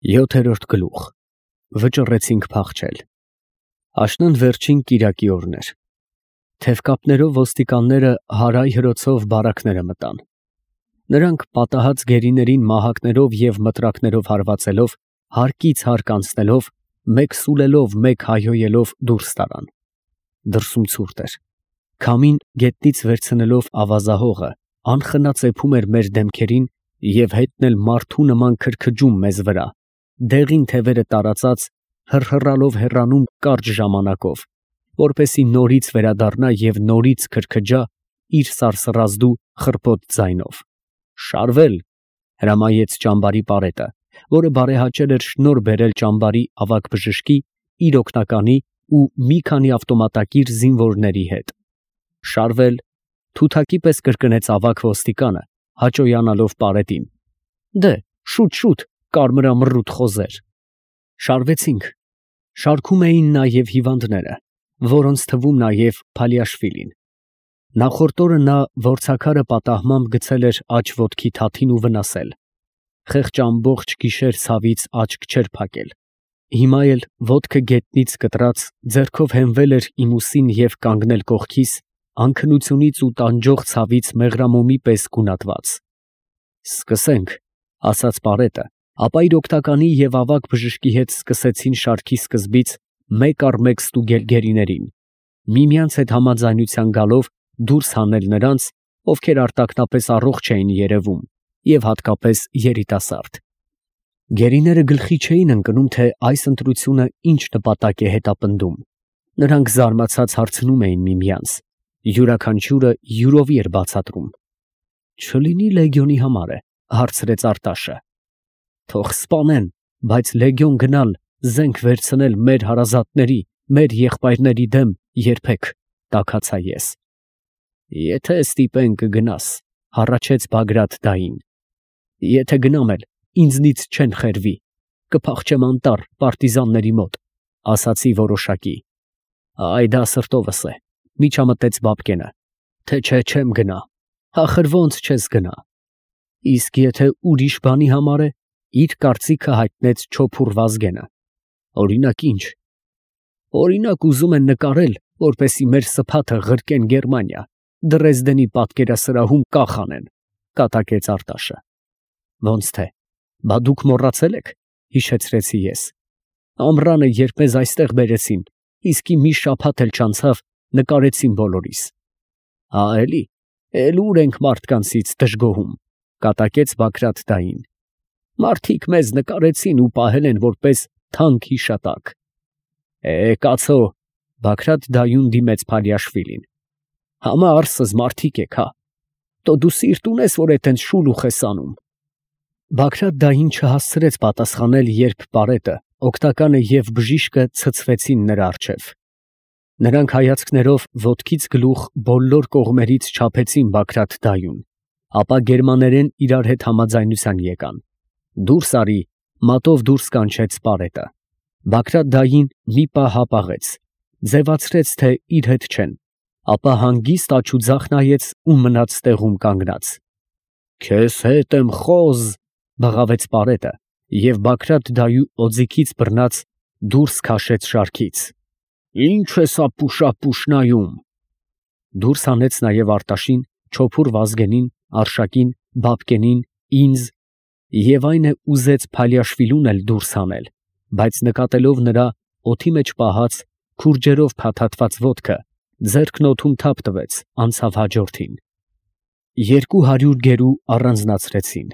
Յոթերորդ գլուխ Վճռեցինք փախչել։ Աշնան վերջին կիրակի օրն էր։ Թևկապներով ոստիկանները հարայ հրոցով բարակները մտան։ Նրանք պատահած գերիներին մահակներով և մտրակներով հարվածելով, հարկից հարկ անցնելով, մեկ սուլելով, մեկ հայհոյելով դուրս տարան։ Դրսում ցուրտ էր։ Քամին գետնից վերցնելով ավազահողը, անխնա ծեփում էր մեր դեմքերին և հետն էլ մարդու նման քրքջում մեզ վրա, դեղին թևերը տարածած, հռհռալով հեռանում կարճ ժամանակով, որպեսզի նորից վերադառնա և նորից քրքջա իր սարսռազդու խռպոտ ձայնով։ «Շարվել», հրամայեց ճամբարի պարետը, որը բարեհաճել էր շնորհ բերել ճամբարի ավագ բժշկի, իր օգնականի ու մի քանի ավտոմատակիր զինվորների հետ։ «Շարվել», թութակի պես կրկնեց ավագ ոստիկանը, հաճոյանալով պարետին։ «Դե, շուտ, կարմրամռութ խոզեր»։ Շարվեցինք։ Շարքում էին նաև հիվանդները, որոնց թվում նաև Փալիաշվիլին։ Նախորդ օրը նա որցաքարը պատահմամբ գցել էր աջ ոտքի թաթին ու վնասել։ Խեղճ ամբողջ գիշեր ցավից աչք չէր փակել։ Հիմա էլ ոտքը գետնից կտրած, ձեռքով հենվել էր իմ ուսին և կանգնել կողքիս, անքնությունից ու տանջող ցավից մեղրամոմի պես գունատված։ «Սկսենք», ասաց պարետը, ապա իր օգնականի և ավագ բժշկի հետ սկսեցին շարքի սկզբից մեկ առ մեկ ստուգել գերիներին, միմյանց հետ համաձայնության գալով դուրս հանել նրանց, ովքեր արտաքնապես առողջ էին երևում, և հատկապես երիտասարդ։ Գերիները գլխի չէին ընկնում, թե այս ընտրությունը ինչ նպատակ է հետապնդում։ Նրանք զարմացած հարցնում էին միմյանց, յուրաքանչյուրը յուրովի էր բացատրում։ «Չլինի լեգիոնի համար է», հարցրեց Արտաշը։ «Թող սպանեն, բայց լեգիոն գնալ, զենք վերցնել մեր հարազատների, մեր եղբայրների դեմ երբեք», տաքացա ես։ «Եթե ստիպեն կգնաս», հառաչեց Բագրատ֊դային։ «Եթե գնամ էլ, ինձնից չեն խերվի, կփախչեմ անտառ պարտիզանների մոտ», ասացի որոշակի։ «Այ դա սրտովս է», միջամտեց Բաբկենը, «թե չէ չեմ գնա, ախր ո՞նց չես գնա»։ «Իսկ եթե ուրիշ բանի համար է», իր կարծիքը հայտնեց Չոփուռ Վազգենը։ «Օրինակ ի՞նչ»։ «Օրինակ ուզում են նկարել, որպեսզի մեր սփաթը ղրկեն Գերմանիա, Դրեզդենի պատկերասրահում կախ անեն», կատակեց Արտաշը։ «Ոնց թե, բա դուք մոռացել եք», հիշեցրեցի ես։ «Ամռանը, երբ մեզ այստեղ բերեցին, իսկի մի շաբաթ էլ չանցավ, նկարեցին բոլորիս»։ «Հա էլի, էլ ուր ենք մարդկանցից դժգոհում», կատակեց Բագրատ֊դային։ «Մարդիկ մեզ նկարեցին ու պահել են որպես թանկ հիշատակ»։ «Կացո», Բագրատ֊դայուն դիմեց Փալիաշվիլին։ «Համա արսыз մարդիկ եք, հա։ Տո դու սիրտ ունես, որ էտենց շուլուխ ես անում»։ Բագրատ֊դային չհասցրեց պատասխանել, երբ պարետը, օգնականը և բժիշկը ցցվեցին նրա առջև։ Նրանք հայացքներով ոտքից գլուխ բոլոր կողմերից չափեցին Բագրատ֊դայուն, ապա գերմաներեն իրար հետ համաձայնության եկան։ «Դուրս արի», մատով դուրս կանչեց պարետը։ Բագրատ֊դային մի պահ հապաղեց, ձևացրեց, թե իր հետ չեն, ապա հանգիստ աջուձախ նայեց ու մնաց տեղում կանգնած։ «Քեզ հետ եմ, խոզ», բղավեց պարետը և Բագրատ֊դայու օձիքից բռնած դուրս քաշեց շարքից։ «Ի՞նչ ես ապուշ նայում»։ Դուրս հանեց նաև Արտաշին, Չոփուռ Վազգենին, Արշակին, Բաբկենին, ինձ, և այն է ուզեց Փալիաշվիլուն էլ դուրս հանել, բայց նկատելով նրա օդի մեջ պահած, քուրջերով փաթաթված ոտքը, ձեռքն օդում թափ տվեց, անցավ հաջորդին։ 200 գերու առանձնացրեցին։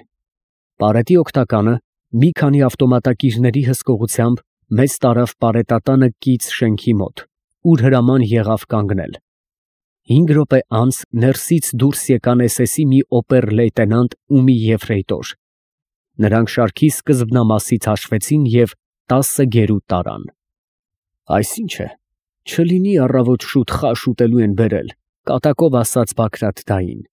Պարետի օգնականը մի քանի ավտոմատակիրների հսկողությամբ մեզ տարավ պարետատանը կից շենքի մոտ, ուր հրաման եղավ կանգնել։ 5 րոպե անց ներսից դուրս եկան SS-ի մի օբեր֊լեյտենանտ ու մի եֆրեյտոր։ Նրանք շարքի սկզբնամասից հաշվեցին և 10 գերու տարան։ «Այս ի՞նչ է, չլինի առավոտ շուտ խաշ ուտելու են բերել», կատակով ասաց Բագրատ֊դային։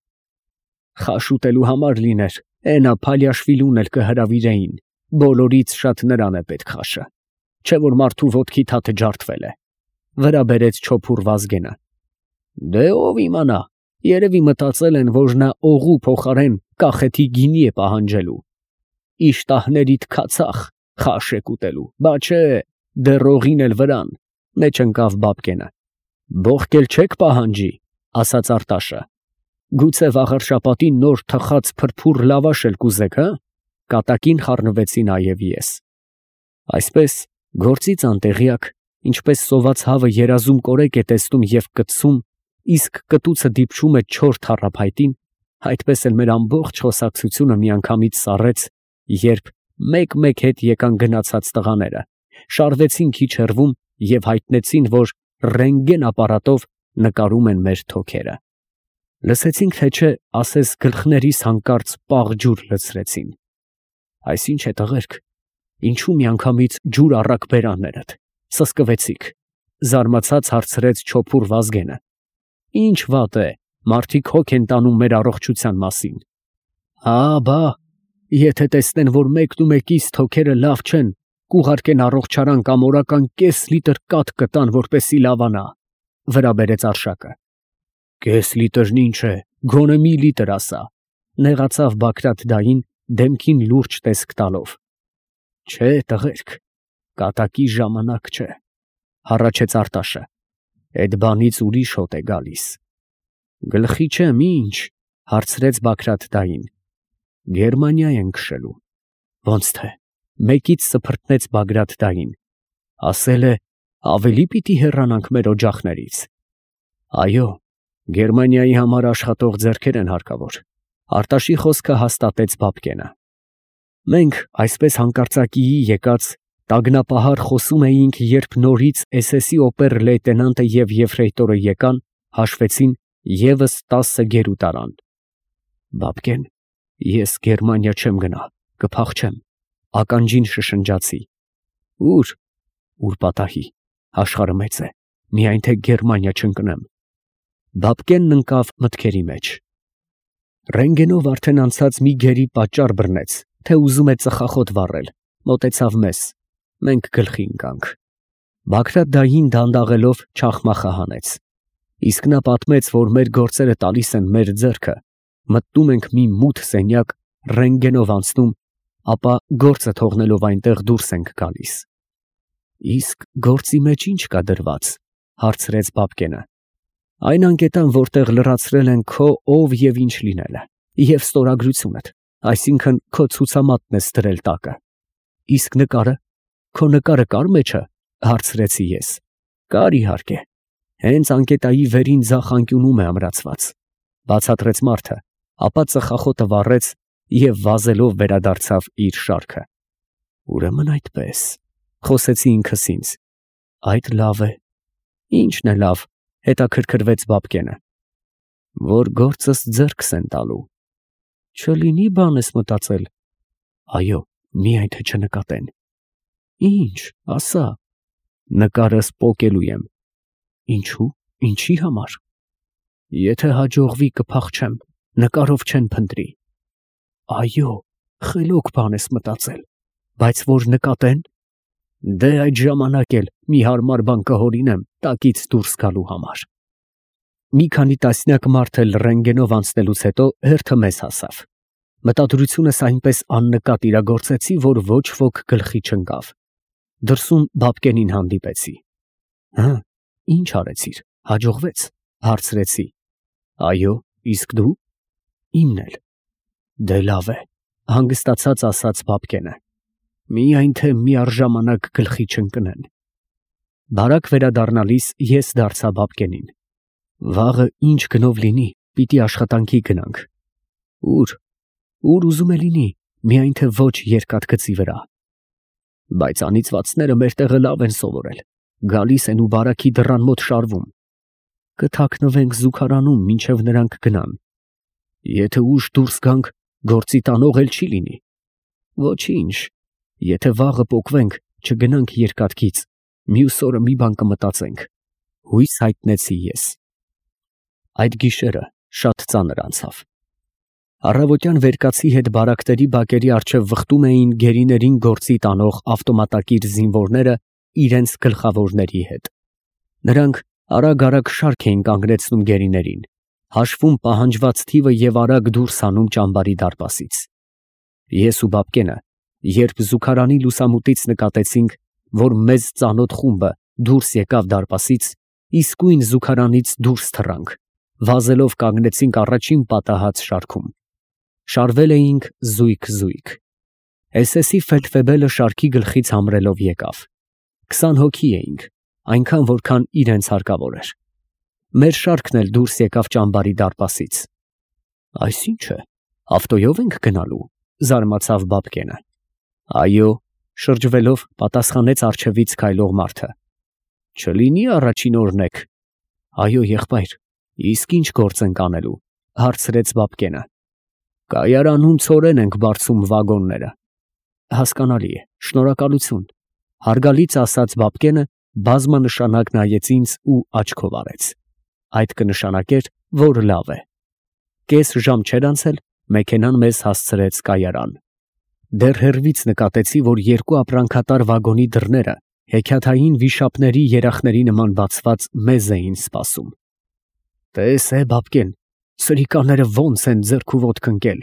«Խաշ ուտելու համար լիներ, էնա Փալիաշվիլուն էլ կհրավիրեին, բոլորից շատ նրան է պետք խաշը, չէ որ մարդու ոտքի թաթը ջարդվել է», վրա բերեց Չոփուռ Վազգենը։ «Դե ով իմանա, երևի մտածել են, որ նա օղու փոխարեն կախեթի գինի է պահանջելու»։ «Իշտահներիդ քացախ», Խաշ եք ուտելու, բա չէ, դեռ օղին էլ վրան, մեջ ընկավ Բաբկենը։ Բողկել չեք պահանջի, ասաց Արտաշը։ Գուցե վաղար շաբաթին նոր թխած փրփուր լավաշ էլ կուզեք, հա։ Կատակին խառնվեցի նաև ես։ Այսպես գործից անտեղյակ, ինչպես սոված հավը երազում կորեկ է տեսնում և կծում, իսկ կտուցը դիպչում է չոր թառափայտին, այդպես էլ մեր ամբողջ խոսակցությունը միանգամից սառեց, երբ մեկ-մեկ հետ եկան գնացած տղաները, շարվեցին քիչ հեռվում և հայտնեցին, որ ռենտգեն ապարատով նկարում են մեր թոքերը։ Լսեցինք, թե չէ, ասես գլխներիս հանկարծ պաղ ջուր լցրեցին։ Այսինչ է տղերք, ինչու միանգամից ջուր առաք բերաններդ, սսկվեցիք, զարմացած հարցրեց չոփուր Վազգենը։ Ինչ վատ է, մարդիկ հոգ են տանում մեր առողջության մասին։ Հա, բա, եթե տեսնեն, որ մեկն ու մեկիս թոքերը լավ չեն, կուղարկեն առողջարան կամ օրական կես լիտր կաթ կտան, որպեսի լավանա, վրա բերեց Արշակը։ Կես լիտրն ինչ է, գոնե մի լիտր ասա, նեղացավ Բագրատ դային դեմքին լուրջ տեսք տալով։ Չէ, տղերք, կատակի ժամանակ չէ, հառաչեց Արտաշը։ Այդ բանից ուրիշ հոտ է գալիս։ Գլխի չեմ, ինչ, հարցրեց Բագրատ դային։ Գերմանիա են քշելու։ Ոնց թե, մեկից սփռտնեց Բագրատ դային։ Ասել է, ավելի պիտի հեռանանք մեր օջախներից։ Այո, Գերմանիայի համար աշխատող ձեռքեր են հարկավոր։ Արտաշի խոսքը հաստատեց Բաբկենը։ Մենք այսպես հանկարծակիի եկած տագնապահար խոսում էինք, երբ նորից SS-ի օպեր լեյտենանտը և եֆրեյտորը եկան, հաշվեցին, ևս 10 գերու տարան։ Բաբկեն, ես Գերմանիա չեմ գնա, կփախչեմ, ականջին շշնջացի։ Ուր պատահի, աշխարհը մեծ է, միայն թե Գերմանիա չընկնեմ։ Բաբկենն ընկավ մտքերի մեջ։ Ռենտգենով արդեն անցած մի գերի պատճառ բռնեց, թե ուզում է ծխախոտ վառել, մոտեցավ մեզ, մենք գլխի ընկանք։ Բագրատ դային դանդաղելով չախմախը հանեց։ Իսկ նա պատմեց, որ մեր գործերը տալիս են մեր ձեռքը, մտնում ենք մի մութ սենյակ, ռենտգենով անցնում, ապա գործը թողնելով այնտեղ դուրս ենք գալիս։ Իսկ գործի մեջ ինչ կա դրված, հարցրեց Բաբկենը։ Այն անկետան, որտեղ լրացրել են քո ով և ինչ լինելը, և ստորագրությունդ, այսինքն քո ցուցամատն ես դրել տակը։ Իսկ նկարը, քո նկարը կար մեջը, հարցրեցի ես։ Կար իհարկե, հենց անկետայի վերին ձախ անկյունում է ամրացված, բացատրեց մարդը, ապա ծխախոտը վառեց և վազելով վերադարձավ իր շարքը։ Ուրեմն այդպես, խոսեցի ինքս ինձ։ Այդ լավ է։ Ինչն է լավ, հետաքրքրվեց Բաբկենը։ Որ գործս ձեռքս են տալու։ Չլինի բան ես մտածել։ Այո, միայն թե չնկատեն։ Ինչ, ասա։ Նկարս պոկելու եմ։ Ինչու, ինչի համար։ Եթե հաջողվի կփախչեմ, նկարով չեն փնտրի։ Այո, խելոք բան ես մտածել, բայց որ նկատեն։ Դե այդ ժամանակ էլ մի հարմար բան կհորինեմ տակից դուրս գալու համար։ Մի քանի տասնյակ մարդ էլ ռենտգենով անցնելուց հետո հերթը մեզ հասավ։ Մտադրությունս այնպես աննկատ իրագործեցի, որ ոչ ոք գլխի չընկավ։ Դրսում Բաբկենին հանդիպեցի։ Հա, ինչ արեցիր, հաջողվեց, հարցրեցի։ Այո, իսկ դու։ Իմն էլ։ Դե լավ է, հանգստացած ասաց Բաբկենը։ Միայն թե միառժամանակ գլխի չընկնեն։ Բարակ վերադառնալիս ես դարձա Բաբկենին։ Վաղը ինչ գնով լինի, պիտի աշխատանքի գնանք։ Ուր ուզում է լինի, միայն թե ոչ երկաթգծի վրա։ Բայց անիծվածները մեր տեղը լավ են սովորել, գալիս են ու բարաքի դռան մոտ շարվում։ Կթաքնվենք զուգարանում, մինչև նրանք գնան։ Եթե ուշ դուրս գանք, գործի տանող էլ չի լինի։ Ոչինչ, եթե վաղը պոկվենք, չգնանք երկաթգիծ, մյուս օրը մի բան կմտածենք, հույս հայտնեցի ես։ Այդ գիշերը շատ ծանր անցավ։ Առավոտյան վերկացի հետ բարակների բակերի առջև վխտում էին գերիներին գործի տանող ավտոմատակիր զինվորները իրենց գլխավորների հետ։ Նրանք արագ-արագ շարք էին կանգնեցնում գերիներին, հաշվում պահանջված թիվը և արագ դուրս հանում ճամբարի դարպասից։ Ես ու Բաբկենը Երբ զուգարանի լուսամուտից նկատեցինք, որ մեզ ծանոթ խումբը դուրս եկավ դարպասից, իսկույն զուգարանից դուրս թռանք, վազելով կանգնեցինք առաջին պատահած շարքում։ Շարվել էինք զույգ։ SS-ի ֆելդվեբելը շարքի գլխից համրելով եկավ։ 20 հոգի էինք, այնքան որքան իրենց հարկավոր էր։ Մեր շարքն էլ դուրս եկավ ճամբարի դարպասից։ Այս ի՞նչ է, ավտոյով ենք գնալու, զարմացավ Բաբկենը։ Այո, շրջվելով պատասխանեց առջևից քայլող մարդը։ Չլինի առաջին օրն եք։ Այո, եղբայր, իսկ ինչ գործ ենք անելու, հարցրեց Բաբկենը։ Կայարանում ցորեն ենք բարձում վագոնները։ Հասկանալի է, շնորհակալություն, հարգալից ասաց Բաբկենը, բազմանշանակ նայեց ինձ ու աչքով արեց։ Այդ կնշանակեր, որ լավ է։ Կես ժամ չէր անցել, մեքենան մեզ հասցրեց կայարան։ Դեռ հեռվից նկատեցի, որ երկու ապրանքատար վագոնի դռները հեքիաթային վիշապների երախների նման բացված մեզ էին սպասում։ Տես է, Բաբկեն, սրիկաները ոնց են ձեռք ու ոտք ընկել,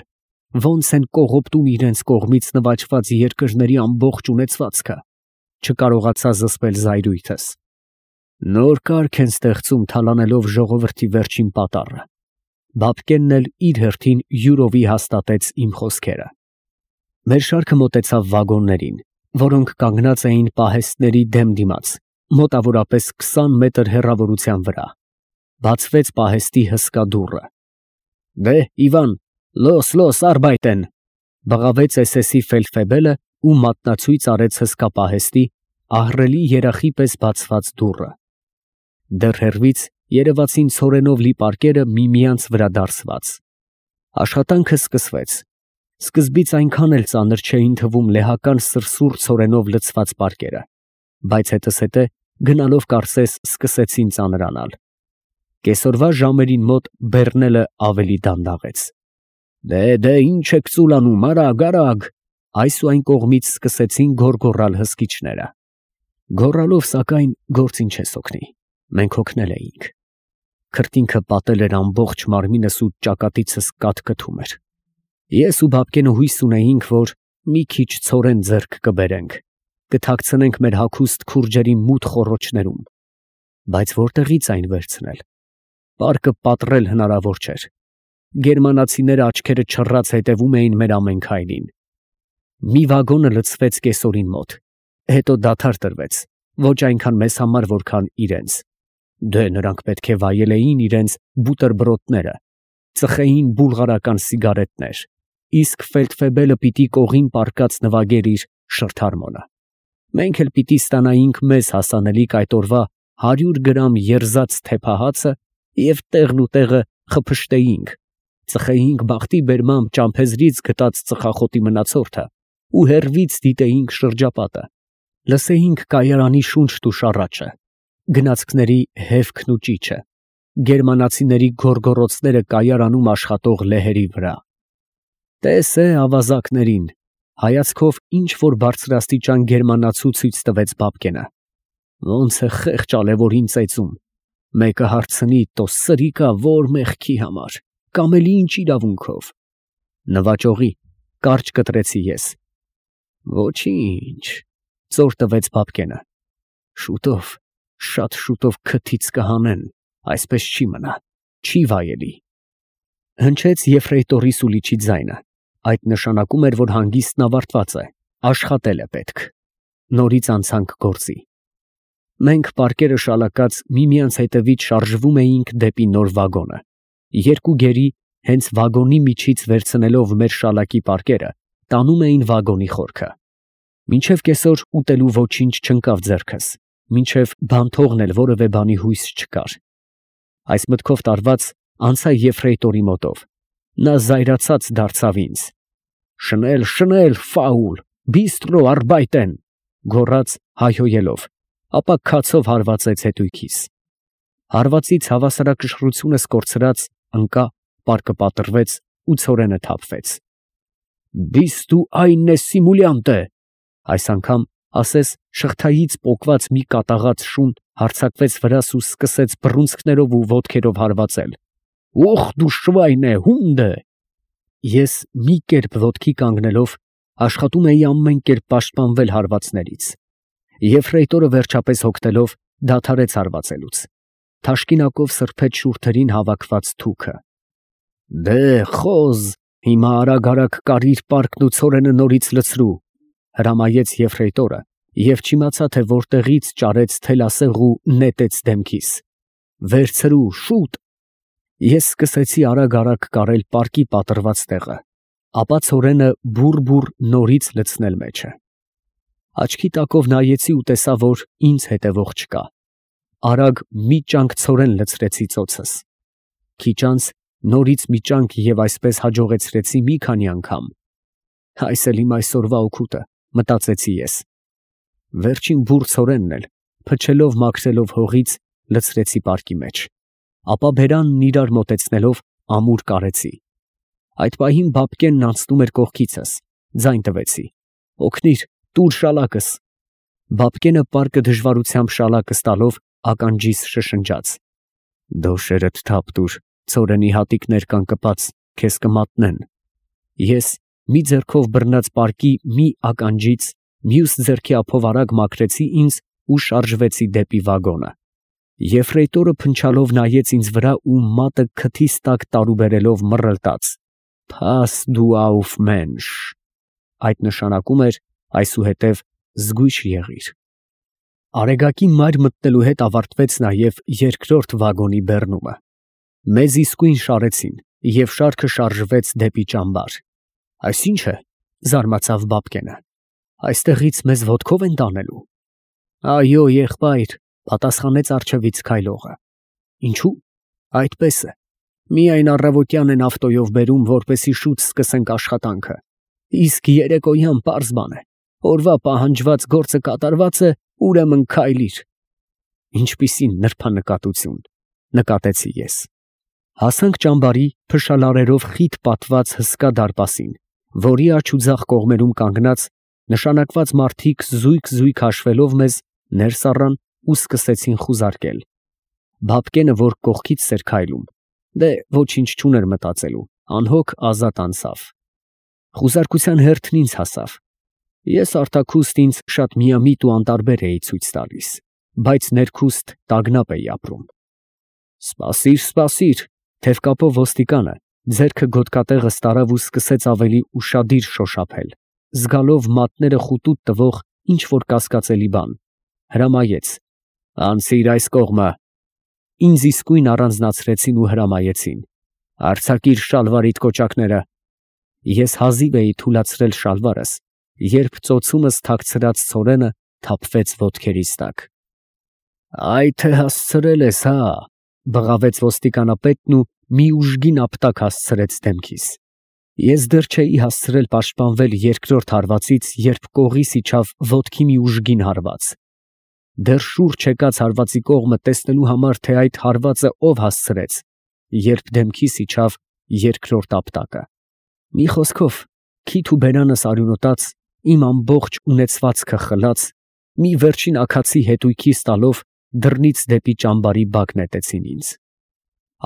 ոնց են կողոպտում իրենց կողմից նվաճված երկրների ամբողջ ունեցվածքը, չկարողացա զսպել զայրույթս։ Նոր կարգ են ստեղծում թալանելով ժողովրդի վերջին պատառը։ Բաբկենն էլ իր հերթին յուրովի հաստատեց իմ խոսքերը։ Մեր շարքը մոտեցավ վագոններին, որոնք կանգնած էին պահեստների դեմ դիմաց, մոտավորապես 20 մետր հեռավորության վրա։ Բացվեց պահեստի հսկա դուռը։ Դե, Իվան, լոս արբայտեն, բղավեց SS-ի ֆելդֆեբելը ու մատնացույց արեց հսկա պահեստի ահռելի երախի պես բացված դուռը։ Դեռ հեռվից երևացին ցորենով լի պարկերը միմյանց վրա դարսված։ Աշխատանքը սկսվեց։ Սկզբից այնքան էլ ծանր չէին թվում լեհական սրսուռ ցորենով լցված պարկերը, բայց հետզհետե գնալով կարծես սկսեցին ծանրանալ։ Կեսօրվա ժամերին մոտ բեռնելը ավելի դանդաղեց։ Դե ինչ եք ծուլանում, արագ, այս ու այն կողմից սկսեցին գոռգոռալ հսկիչները։ Գոռալով, սակայն, գործին չես օգնի, մենք հոգնել էինք։ Քրտինքը պատել էր ամբողջ մարմինս ու ճակատիցս կաթկթում էր։ Ես ու Բաբկենը հույս ունեինք, որ մի քիչ ցորեն ձեռք կբերենք, կթաքցնենք մեր հագուստ քուրջերի մութ խոռոչներում, բայց որտեղից այն վերցնել։ Պարկը պատռել հնարավոր չէր։ Գերմանացիները աչքերը չռած հետևում էին մեր ամեն քայլին։ Մի վագոնը լցվեց կեսօրին մոտ, հետո դադար տրվեց, ոչ այնքան մեզ համար, որքան իրենց։ Դե նրանք պետք է վայելեին իրենց բուտերբրոդները, ծխեին բուլղարական սիգարետներ, իսկ ֆելդֆեբելը պիտի կողին պարկած նվագեր իր շրթարմոնը։ Մենք էլ պիտի ստանայինք մեզ հասանելիք այդ օրվա 100 գրամ երզած թեփահացը և տեղն ու տեղը խփշտեինք, ծխեինք բախտի բերմամբ ճամփեզրից գտած ծխախոտի մնացորդը ու հեռվից դիտեինք շրջապատը, լսեինք կայարանի շունչն ու շառաչը, գնացքների հևքն ու ճիչը, գերմանացիների գոռգոռոցները կայարանում աշխատող լեհերի վրա։ Տես է ավազակներին, հայացքով ինչ որ բարձրաստիճան գերմանացու ցույց տվեց Բաբկենը։ Ոնց է խեղճ ալևորին ծեծում, մեկը հարցնի, տո սրիկա որ մեղքի համար, կամ էլ ինչ իրավունքով։ Նվաճողի, կարճ կտրեցի ես։ Ոչինչ, ծոր տվեց Բաբկենը։ Շուտով, շատ շուտով քթից կհանեն, այսպես չի մնա, չի վայելի։ Հնչեց եֆրեյտորի սուլիչի ձայնը, այդ նշանակում էր, որ հանգիստն ավարտված է, աշխատել է պետք։ Նորից անցանք գործի։ Մենք պարկերը շալակած միմյանց հետևից շարժվում էինք դեպի նոր վագոնը։ Երկու գերի հենց վագոնի միջից վերցնելով մեր շալակի պարկերը, տանում էին վագոնի խորքը։ Մինչև կեսօր ուտելու ոչինչ չընկավ ձեռքս, մինչև բան թողնել որևէ բանի հույս չկար։ Այս մտքով տարված անցա եֆրեյտորի մոտով։ Նա զայրացած դարձավ ինձ։ Շնել, ֆաուլ, բիստրո արբայտեն, գոռաց հայհոյելով, ապա քացով հարվածեց հետույքիս։ Հարվածից հավասարակշռությունս կորցրած ընկա, պարկը պատռվեց ու ցորենը թափվեց։ Բիստու այնե սիմուլյանտե, այս անգամ ասես շղթայից պոկված մի կատաղած շուն հարձակվեց վրաս ու սկսեց բռունցքներով ու ոտքերով հարվածել։ Ուխ դու շվայնե, հունդե։ Ես մի կերպ ոտքի կանգնելով աշխատում էի ամեն կերպ պաշտպանվել հարվածներից։ Եֆրեյտորը վերջապես հոգնելով դադարեց հարվածելուց, թաշկինակով սրբեց շուրթերին հավաքված թուքը։ «Դե խոզ, հիմա արագ կարիր պարկն ու ցորենը նորից լցրու», հրամայեց եֆրեյտորը և չիմացա, թե որտեղից ճարեց թելասեղ ու նետեց դեմքիս։ «Վերցրու, շուտ»։ Ես սկսեցի արագ կարել պարկի պատռված տեղը, ապա ցորենը բուռ նորից լցնել մեջը։ Աչքի տակով նայեցի ու տեսա, որ ինձ հետևող չկա։ Արագ մի ճանկ ցորեն լցրեցի ծոցս։ Քիչ անց նորից մի ճանկ և այսպես հաջողեցրեցի մի քանի անգամ։ Այս էլ իմ այսօրվա օգուտը, մտածեցի ես։ Վերջին բուռ ցորենն էլ, փչելով մաքրելով հողից, լցրեցի պարկի մեջ, ապա բերանն իրար մոտեցնելով ամուր կարեցի։ Այդ պահին Բաբկենն անցնում էր կողքիցս, ձայն տվեցի. «Օգնիր, տուր շալակս»։ Բաբկենը պարկը դժվարությամբ շալակս տալով ականջիս շշնջաց. «Դոշերդ թափ տուր, ցորենի հատիկներ կան կպած, քեզ կմատնեն»։ Ես մի ձեռքով բռնած պարկի մի ականջից, մյուս ձեռքի ափով արագ մաքրեցի ինձ ու շարժվեցի դեպի վագոնը։ Եֆրեյտորը փնչալով նայեց ինձ վրա ու մատը քթիս տակ տարուբերելով մռլտաց. «Փաս դու աուֆ մենշ», այդ նշանակում էր այսուհետև զգույշ եղիր։ Արեգակի մայր մտնելու հետ ավարտվեց նաև երկրորդ վագոնի բեռնումը։ Մեզ իսկույն շարեցին, և շարքը շարժվեց դեպի ճամբար։ «Այս ի՞նչ է», զարմացավ Բաբկենը, «այստեղից մեզ ոտքով են տանելու»։ «Այո, եղբայր», պատասխանեց առջևից քայլողը։ «Ինչու»։ «Այդպես է. միայն առավոտյան են ավտոյով բերում, որպեսզի շուտ սկսենք աշխատանքը, իսկ երեկոյան պարզ բան է, օրվա պահանջված գործը կատարված է, ուրեմն քայլիր»։ Ինչպիսի նրբանկատություն, նկատեցի ես։ Հասանք ճամբարի փշալարերով խիտ պատված հսկա դարպասին, որի աջ ու ձախ կողմերում կանգնած նշանակված մարդիկ զույգ հաշվելով մեզ ներս առան ու սկսեցին խուզարկել։ Բաբկենը, որ կողքից էր քայլում, դե ոչինչ չուներ մտածելու, անհոգ ազատ անցավ։ Խուզարկության հերթն ինձ հասավ։ Ես արտաքուստ ինձ շատ միամիտ ու անտարբեր էի ցույց տալիս, բայց ներքուստ տագնապ էի ապրում։ Սպասիր, թևկապով ոստիկանը ձեռքը գոտկատեղս տարավ ու սկսեց ավելի ուշադիր շոշափել, զգալով մատները խուտուտ տվող ինչ-որ կասկածելի բան, հրամայեց. «Անցիր այս կողմը»։ Ինձ իսկույն առանձնացրեցին ու հրամայեցին. «Արձակիր շալվարիդ կոճակները»։ Ես հազիվ էի թուլացրել շալվարս, երբ ծոցումս թաքցրած ցորենը թափվեց ոտքերիս տակ։ «Այ թե հասցրել ես, հա», բղավեց ոստիկանապետն ու մի ուժգին ապտակ հասցրեց դեմքիս։ Ես դեռ չէի հասցրել պաշտպանվել երկրորդ հարվածից, երբ կողիս իջավ ոտքի մի ուժգին հարված։ Դեռ շուրջ եկած հարվածի կողմը տեսնելու համար, թե այդ հարվածը ով հասցրեց, երբ դեմքիս իջավ երկրորդ ապտակը։ Մի խոսքով, քիթ ու բերանս արյունոտած, իմ ամբողջ ունեցվածքը խլած, մի վերջին աքացի հետույքիս տալով դռնից դեպի ճամբարի բակ նետեցին ինձ։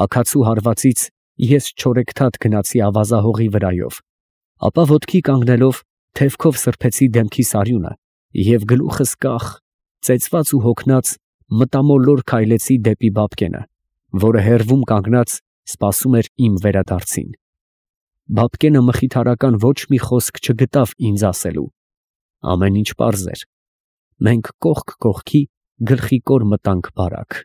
Աքացու հարվածից ես չորեքթաթ գնացի ավազահողի վրայով, ապա ոտքի կանգնելով թևքով սրբեցի դեմքիս արյունը և գլուխս կախ, ծեծված ու հոգնած մտամոլոր քայլեցի դեպի Բաբկենը, որը հեռվում կանգնած սպասում էր իմ վերադարձին։ Բաբկենը մխիթարական ոչ մի խոսք չգտավ ինձ ասելու։ Ամեն ինչ պարզ էր։ Մենք կողք կողքի գլխիկոր մտանք բարակ։